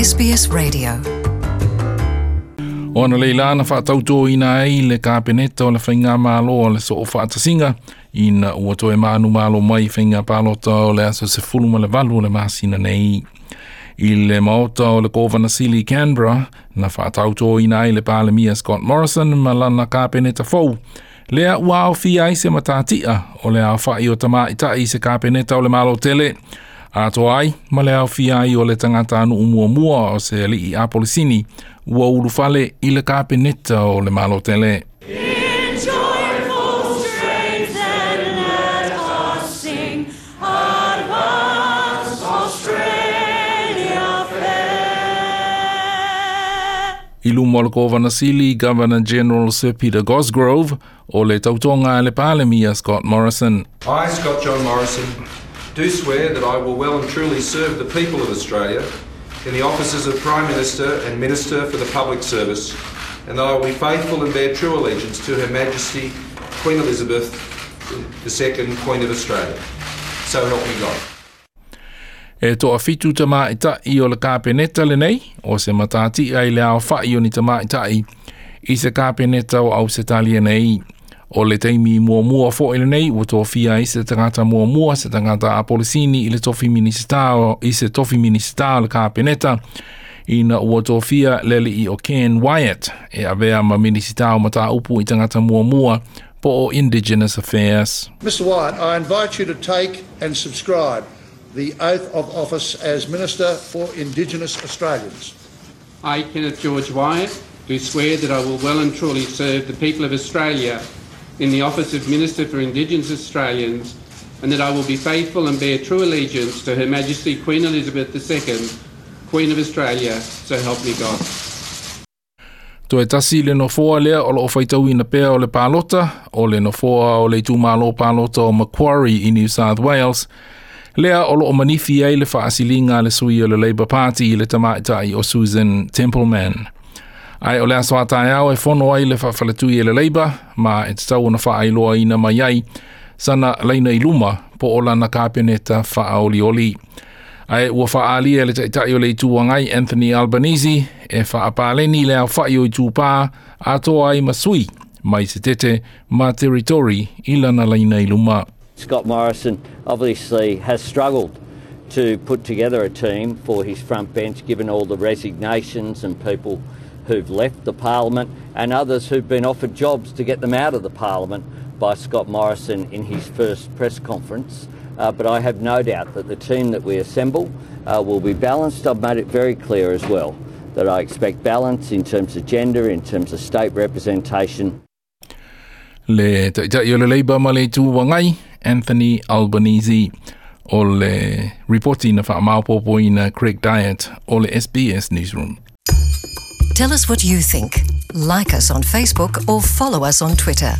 SBS Radio. O analeila na faatautoina ai le Kapeneta o le Faigamalo o le Soofaatasiga ina ua toe manumalo mai faiga palota o le aso 18 o le masina nei. I le maota o le Kovana Sili Canberra, na faatautoina ai le Palemia Scott Morrison ma lana Kapeneta fou, lea ua aofia ai se matatia o le aofai o tamaitai i se Kapeneta o le Malo tele, atoa ai ma le aofia ai o le tagatanuu muamua o se alii Apolisini ua ulufale i le Kapeneta o le Malo tele. In joyful strains then let us sing, Advance Australia fair. I luma o le Kovana Sili, Governor General Sir Peter Cosgrove, o le tautoga a le Palemia Scott Morrison. I, Scott John Morrison, do swear that I will well and truly serve the people of Australia in the offices of Prime Minister and Minister for the Public Service, and that I will be faithful and bear true allegiance to Her Majesty Queen Elizabeth II, Queen of Australia. So help me God. E toafitu tamaitai o le Kapeneta lenei, o se matatia i le aofai o ni tamaitai i se Kapeneta o Ausetalia nei. O le taimi muamua fo'i lenei ua tofia ai se tagata muamua, se tagata Apolisini i le tofi minisita i se tofi minisita o le Kapeneta, ina ua tofia le alii o Ken Wyatt e avea ma minisita o mataupu i tagata muamua po o Indigenous Affairs. Mr Wyatt, I invite you to take and subscribe the oath of office as Minister for Indigenous Australians. I, Kenneth George Wyatt, do swear that I will well and truly serve the people of Australia in the office of Minister for Indigenous Australians, and that I will be faithful and bear true allegiance to Her Majesty Queen Elizabeth II, Queen of Australia, so help me God. Toe tasi le nofoa lea o loo faitauina pea o le palota, o le nofoa o le itumalo palota o Macquarie i New South Wales, lea o loo manifi ai le faasiliga a le sui o le Labour Party i le tamaitai o Susan Templeman. Ae o le aso a taeao e fono ai le faafaletui e le Labour, ma e tatau ona faailoaina mai ai sana laina i luma po o lana Kapeneta faaolioli. Ae ua faaalia e le Taitai o le Itu Agai Anthony Albanese e faapaleni le aofai o itupā atoa ai ma sui mai Setete ma Territory i lana laina i luma. Scott Morrison obviously has struggled to put together a team for his front bench, given all the resignations and people who've left the parliament and others who've been offered jobs to get them out of the parliament by Scott Morrison in his first press conference. But I have no doubt that the team that we assemble will be balanced. I've made it very clear as well that I expect balance in terms of gender, in terms of state representation. Le Taitai o le Labour ma le Itu Agai, Anthony Albanese. O le ripoti na faamaopoopoina Craig Diet o le SBS Newsroom. Tell us what you think. Like us on Facebook or follow us on Twitter.